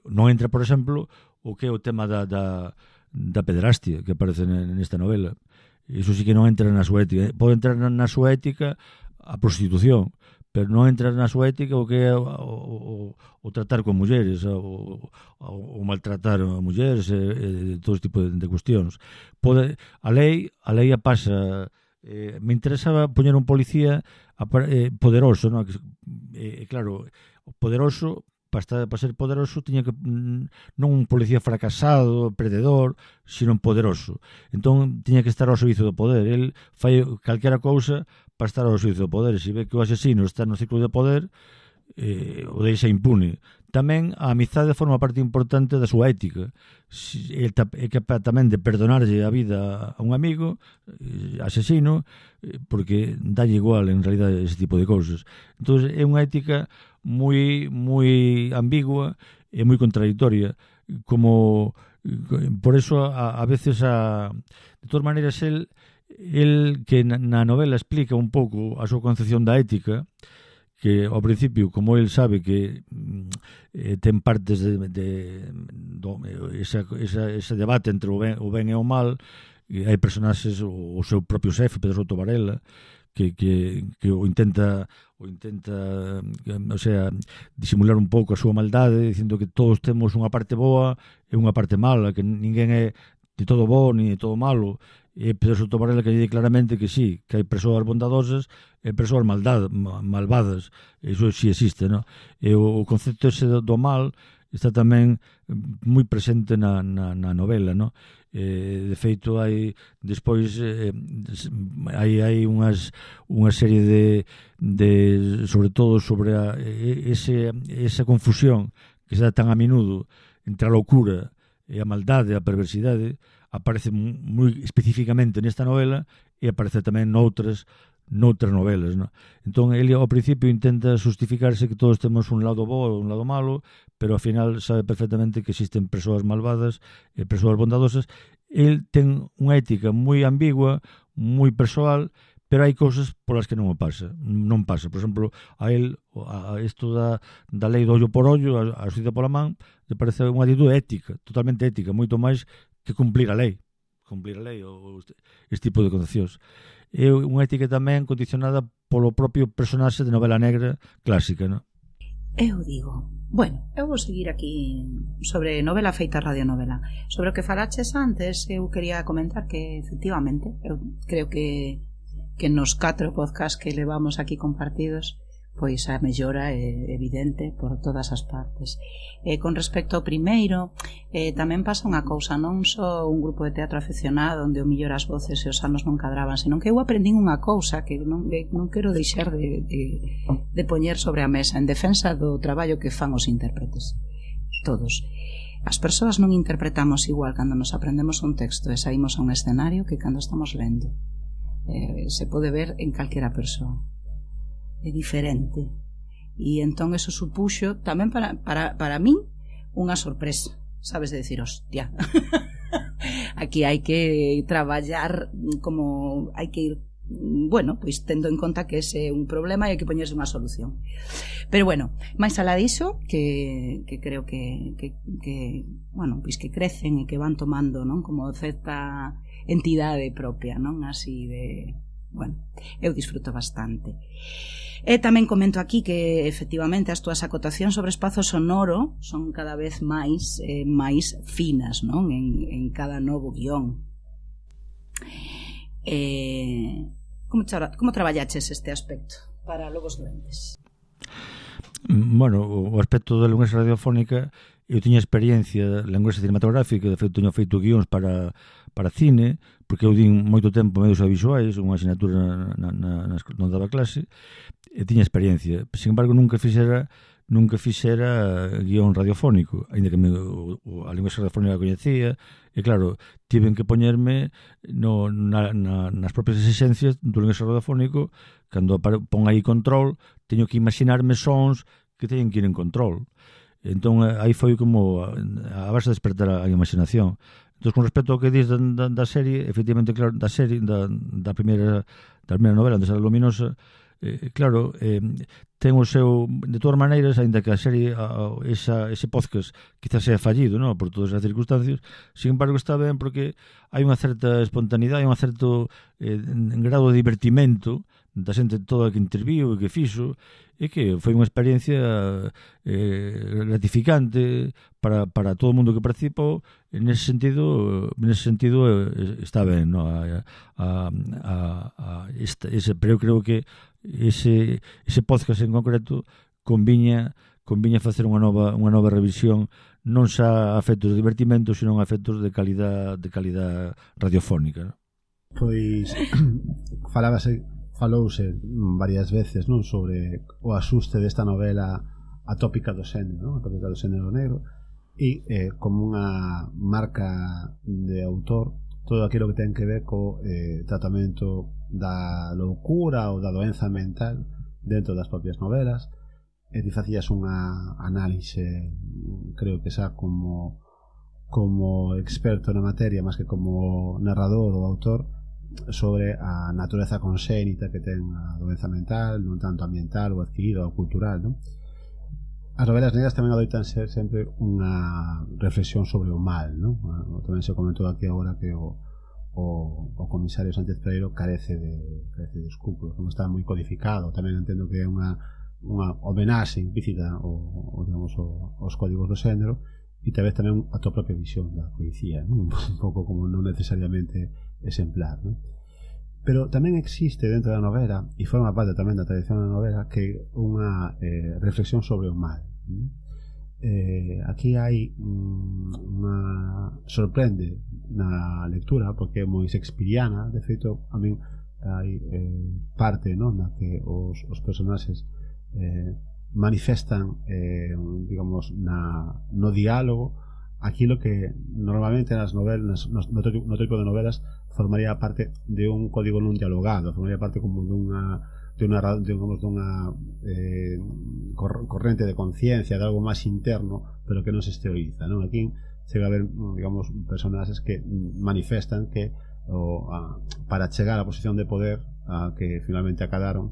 Non entra, por exemplo, o que é o tema da pederastia que aparece nesta novela. Iso sí que non entra na súa ética. Pode entrar na súa ética a prostitución, pero non entra na súa ética o que é o tratar con mulleres, o maltratar a mulleres, todo este tipo de cuestións. A lei a pasa. Me interesaba poñer un policía poderoso, ¿no? Claro, poderoso, para ser poderoso tiña que non un policía fracasado, perdedor, sino un poderoso. Entón tiña que estar ao servizo do poder. El fai calquera cousa para estar ao servizo do poder. Se ve que o asesino está no ciclo de poder, o deixa impune. Tamén a amizade forma parte importante da súa ética. É capaz tamén de perdonarlle a vida a un amigo asesino, porque dalle igual en realidad ese tipo de cousas. Entón é unha ética moi ambigua e moi contradictoria, como por eso a veces de todas maneiras el que na novela explica un pouco a súa concepción da ética, que ao principio, como el sabe que ten partes ese debate entre o ben e o mal, e hai personaxes, o seu propio xefe, Pedro Soto Varela, o intenta o sea, disimular un pouco a súa maldade, dicindo que todos temos unha parte boa e unha parte mala, que ninguén é de todo bo ni de todo malo. E Pedro Soto Varela que lle di claramente que sí, que hai persoas bondadosas e persoas malvadas. Iso sí existe, no? E o concepto ese do mal está tamén moi presente na novela, no? De feito hai despois hai unha serie de sobre todo sobre esa confusión que se dá tan a menudo entre a loucura e a maldade, a perversidade, aparece moi especificamente nesta novela e aparece tamén noutras novelas, no? Entón ele ao principio intenta justificarse que todos temos un lado bo e un lado malo, pero ao final sabe perfectamente que existen persoas malvadas e persoas bondadosas. El ten unha ética moi ambigua, moi persoal, pero hai cousas polas que non pasa. Por exemplo, a él isto da lei do ollo por ollo, a xustiza pola man, le parece unha actitude ética, totalmente ética, moito máis que cumplir a lei ou este tipo de concepcións. É unha ética tamén condicionada polo propio personaxe de novela negra clásica, non? Eu digo, bueno, eu vou seguir aquí sobre novela feita radionovela. Sobre o que falaches antes, eu quería comentar que efectivamente, eu creo que nos 4 podcasts que levamos aquí compartidos, pois a mellora é evidente por todas as partes. Con respecto ao primeiro, tamén pasa unha cousa, non só un grupo de teatro aficionado onde o millor as voces e os anos non cadraban, senón que eu aprendín unha cousa que non quero deixar de poñer sobre a mesa en defensa do traballo que fan os intérpretes. Todos. As persoas non interpretamos igual cando nos aprendemos un texto e saímos a un escenario que cando estamos lendo. Se pode ver en calquera persoa. É diferente, e entón eso supuxo tamén para min unha sorpresa, sabes, de decir, hostia, aquí hai que traballar, como hai que ir, bueno, pois tendo en conta que ese é un problema e hai que poñerse unha solución. Pero bueno, máis alá diso, que creo que bueno, pois que crecen e que van tomando, non, como certa entidade propia, non, así de, bueno, eu disfruto bastante. E tamén comento aquí que efectivamente as túas acotacións sobre espazo sonoro son cada vez máis finas, non? En cada novo guión. Como traballaches este aspecto para Lobos Doentes? Bueno, o aspecto da linguaxe radiofónica, eu tiña experiencia de linguaxe cinematográfica, de feito teño feito guións para cine, porque eu din moito tempo medios audiovisuais, unha asignatura non daba clase, e tiña experiencia. Sin embargo, nunca fixera guión radiofónico, aínda que a linguaxe radiofónica coñecía, e claro, tiven que poñerme nas propias exixencias do linguaxe radiofónico. Cando pon aí control, teño que imaginarme sons que teñen que ir en control. Entón, aí foi como a base de despertar a imaginación. Entón, con respecto ao que dis da serie, efectivamente, claro, da primeira novela, onde sale Luminosa, claro, ten o seu, de todas maneiras, aínda que a serie, ese podcast quizás sea fallido, ¿no?, por todas as circunstancias, sin embargo está ben porque hai unha certa espontaneidade, hai un certo grado de divertimento da xente toda que interviu e que fixo, e que foi unha experiencia gratificante para todo o mundo que participou. En ese sentido está ben, ¿no? Pero eu creo que ese podcast en concreto conviña facer unha nova revisión, non xa a efectos de divertimento, sino a efectos de calidad radiofónica, ¿no? Pois falouse varias veces, non, sobre o asuste desta novela atópica do xénero, non? Atópica do xénero negro, e como unha marca de autor todo aquilo que ten que ver co tratamento da loucura ou da doenza mental dentro das propias novelas. E ti facías unha análise, creo que xa como experto na materia, máis que como narrador ou autor, sobre a natureza conxénita que ten a doenza mental, non tanto ambiental ou adquirida ou cultural, non? As novelas negras tamén adoitan ser sempre unha reflexión sobre o mal, non? Tamén se comentou aquí agora que o o comisario Sánchez Pereiro carece de escrúpulos, non está moi codificado. Tamén entendo que é unha homenaxe implícita aos códigos do xénero, e tal vez tamén a tua propia visión da policía, non? Un pouco como non necesariamente exemplar, non? Pero tamén existe dentro da novela, e forma parte tamén da tradición da novela, que unha reflexión sobre o mal, non? Aquí hai sorprende na lectura porque é moi shakespeariana. De feito, a min hai parte, non, na que os personaxes manifestan digamos no diálogo aquilo que normalmente nas novelas, no tipo de novelas, formaría parte de un código non dialogado, formaría parte como dunha corrente de conciencia, de algo máis interno, pero que non se exterioriza, non? Aquí chega a haber, digamos, personaxes que manifestan que para chegar á posición de poder a que finalmente acadaron,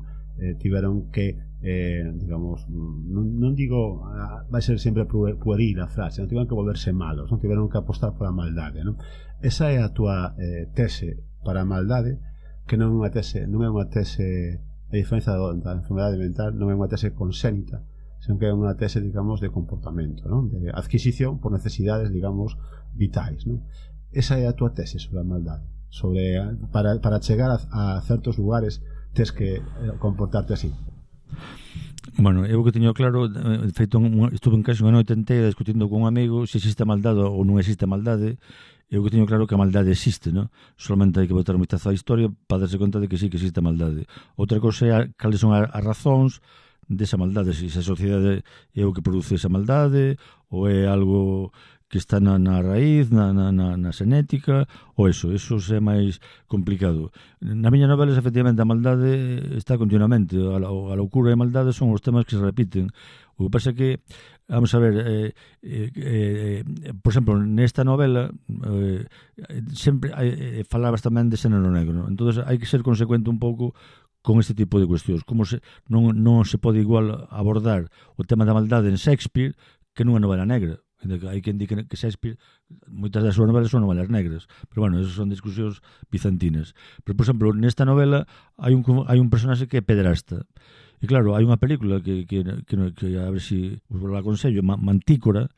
tiveron que digamos, non digo vai ser sempre pueril a frase, non tiveron que volverse malos, non tiveron que apostar por a maldade, non? Esa é a tua tese para a maldade, que non é unha tese, a diferencia da enfermedade mental, non é unha tese consénita, senón que é unha tese, digamos, de comportamento, non? De adquisición por necesidades, digamos, vitais, non? Esa é a tua tese sobre a maldade, sobre para chegar a certos lugares tes que comportarte así. Bueno, eu que teño claro, de feito, estuve en casa unha noite inteira discutindo con un amigo se existe maldade ou non existe maldade. Eu que teño claro que a maldade existe, non? Solamente hai que botar un vistazo á historia para darse conta de que sí que existe maldade. Outra cosa é cales son as razóns desa maldade, se a sociedade é o que produce esa maldade ou é algo que está na raíz, na xenética, ou eso é máis complicado. Na miña novela, efectivamente, a maldade está continuamente, a loucura e a maldade son os temas que se repiten. O que pasa é que, vamos a ver, por exemplo, nesta novela sempre falabas tamén de xénero negro, entón hai que ser consecuente un pouco con este tipo de cuestións, como non se pode igual abordar o tema da maldade en Shakespeare que nunha novela negra. Hai quen di que Shakespeare, moitas das súas novelas son novelas negras, pero bueno, esas son discusións bizantinas. Pero, por exemplo, nesta novela hai un personaxe que é pederasta, e claro, hai unha película que a ver se vos la aconsello, Mantícora,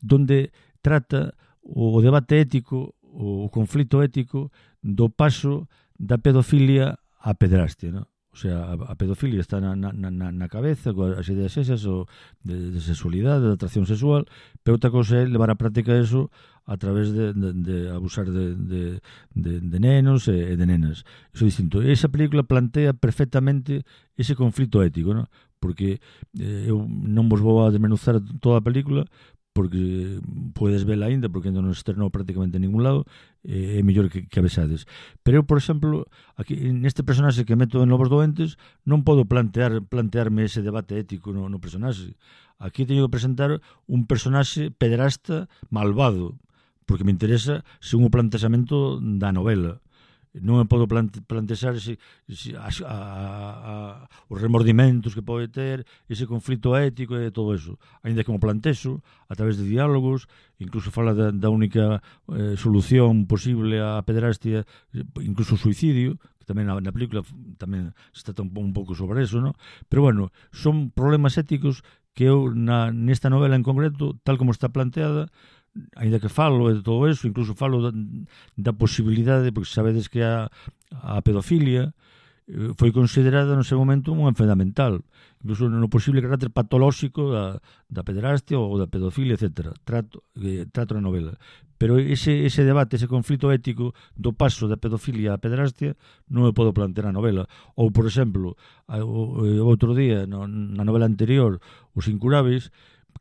donde trata o debate ético, o conflito ético do paso da pedofilia á pederastia, non? O sea, a pedofilia está na cabeza, coas ideas esas de sexualidade, de atracción sexual, pero outra cosa é levar a práctica eso a través de abusar de nenos e de nenas. Iso é distinto. Esa película plantea perfectamente ese conflito ético, ¿no? Porque eu non vos vou a desmenuzar toda a película, porque podes vela ainda, porque ainda non estrenou prácticamente en ningún lado, é mellor que a vexades. Pero eu, por exemplo, aquí neste personaxe que meto en Lobos Doentes, non podo plantearme ese debate ético no personaxe. Aquí teño que presentar un personaxe pederasta malvado, porque me interesa según o planteamento da novela. Non me podo plantear os remordimentos que pode ter, ese conflito ético e todo eso. Ainda que mo plantexo a través de diálogos, incluso fala da única solución posible á pederastia, incluso o suicidio, que tamén na película tamén se trata un pouco sobre eso, ¿no? Pero bueno, son problemas éticos que eu nesta novela en concreto, tal como está planteada, ainda que falo de todo eso, incluso falo da posibilidade, porque sabedes que a pedofilia foi considerada no seu momento unha enfermedade mental, incluso no posible carácter patolóxico da pederastia ou da pedofilia, etc. Trato na novela. Pero ese debate, ese conflito ético do paso da pedofilia á pederastia non me podo plantear na novela. Ou, por exemplo, outro día, na novela anterior, Os Incuráveis,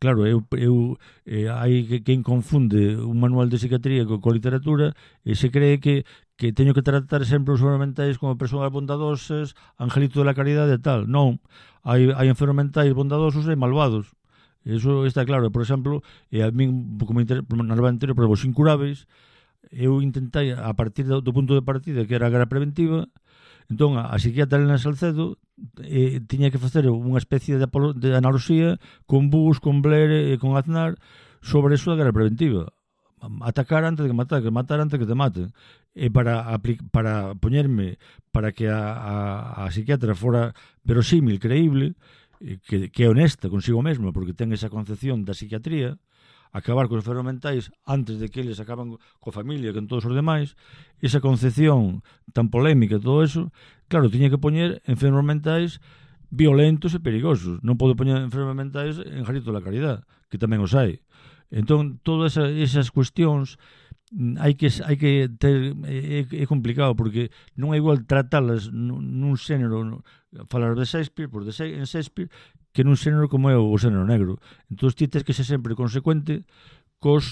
claro, hai quen confunde un manual de psiquiatría coa literatura e se cree que teño que tratar sempre os enfermos mentais como persoas bondadosas, angelito de la caridade e tal. Non, hai enfermos mentais bondadosos e malvados. Eso está claro. Por exemplo, a min, como na novela anterior, por exemplo, Os Incuráveis, eu intentei, a partir do punto de partida que era a guerra preventiva, entón a psiquiatra Elena Salcedo tiña que facer unha especie de analogía con Bush, con Blair e con Aznar sobre eso da guerra preventiva. atacar antes de que matar antes de que te maten. E para poñerme para que a psiquiatra fora verosímil, creíble, que é honesta consigo mesma, porque ten esa concepción da psiquiatría, acabar cos enfermos mentais antes de que eles acaban coa familia, con todos os demais, esa concepción tan polémica, todo eso, claro, tiña que poñer enfermos mentais violentos e perigosos. Non pode poñer enfermos mentais en Jarito da Caridad, que tamén os hai. Entón, todas esas cuestións hai que ter, é complicado, porque non é igual tratalas nun xénero, falar de Shakespeare, en Shakespeare, que nun xénero como é o xénero negro. Entón, ti tens que ser sempre consecuente co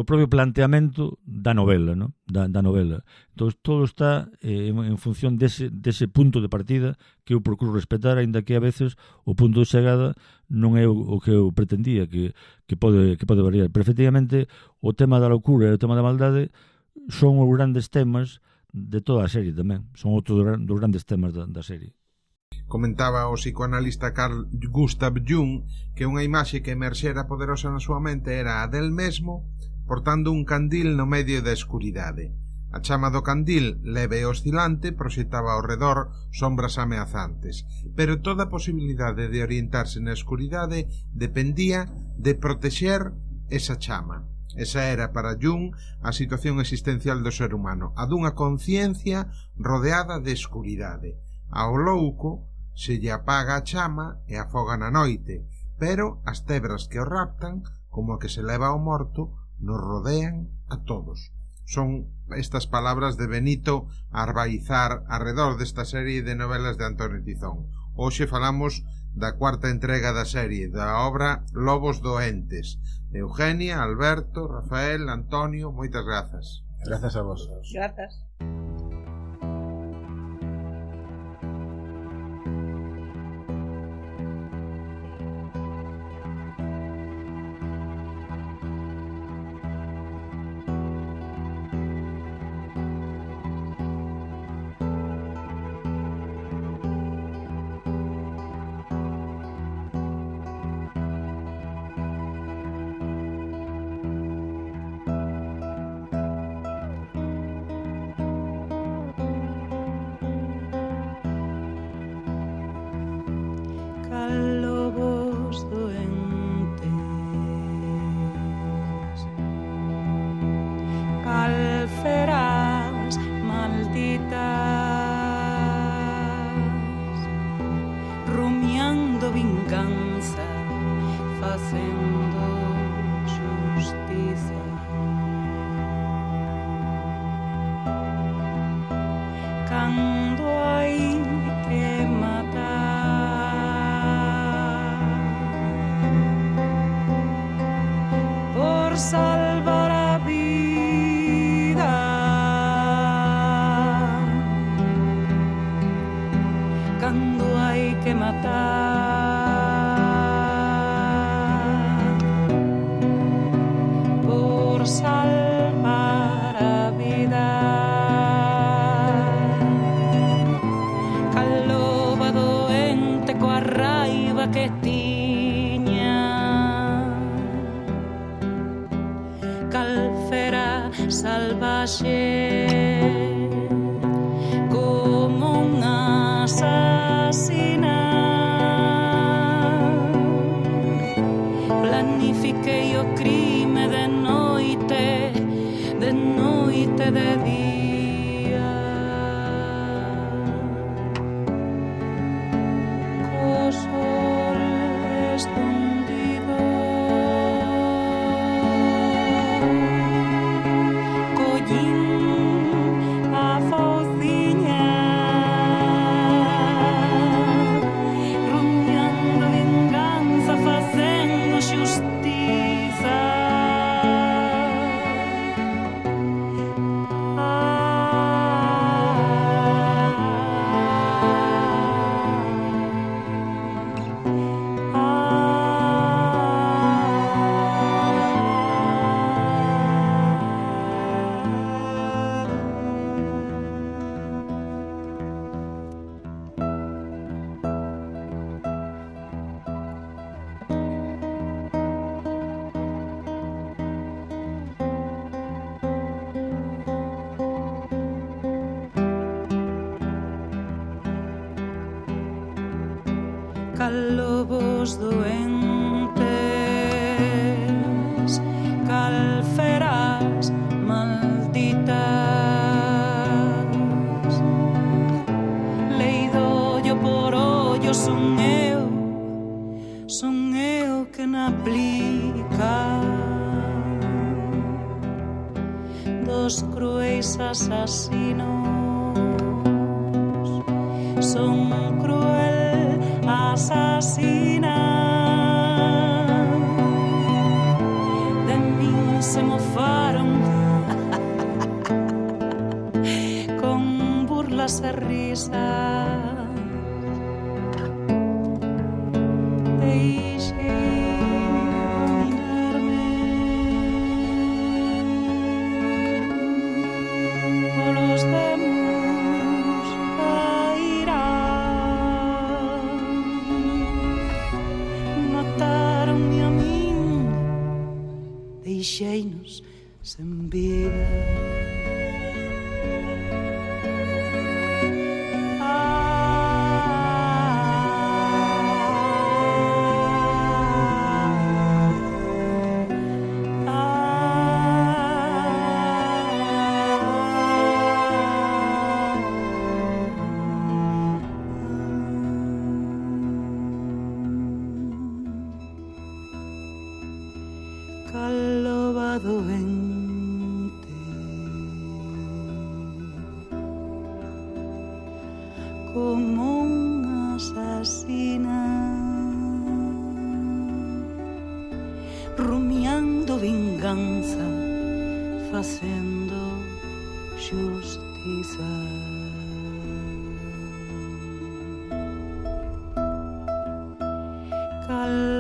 propio planteamento da novela, ¿no? da novela. Entón, todo está en función dese punto de partida que eu procuro respetar, aínda que a veces o punto de chegada non é o que eu pretendía, que pode variar. Pero, efectivamente, o tema da locura e o tema da maldade son os grandes temas de toda a serie tamén. Son outros dos grandes temas da serie. Comentaba o psicoanalista Carl Gustav Jung que unha imaxe que emerxera poderosa na súa mente era a del mesmo portando un candil no medio da escuridade. A chama do candil, leve e oscilante, proxectaba ao redor sombras ameazantes, pero toda a posibilidade de orientarse na escuridade dependía de protexer esa chama. Esa era para Jung a situación existencial do ser humano, a dunha conciencia rodeada de escuridade. Ao louco se lle apaga a chama e afoga na noite, pero as tebras que o raptan, como a que se leva ao morto, nos rodean a todos. Son estas palabras de Benito Arbaizar arredor desta serie de novelas de Antonio Tizón. Hoxe falamos da cuarta entrega da serie, da obra Lobos Doentes, de Eugenia, Alberto, Rafael, Antonio. Moitas grazas. Grazas a vos. Grazas. Collín cal lobos doentes, cal feras malditas. Leido ollo por ollo son eu que na aplica dos cruéis asasinos. Son cruel asasina. De min se mofaron con burlas e risas. Deixei-nos sem vida. Doente, como unha asasina, rumiando vinganza, facendo xustiza. Cal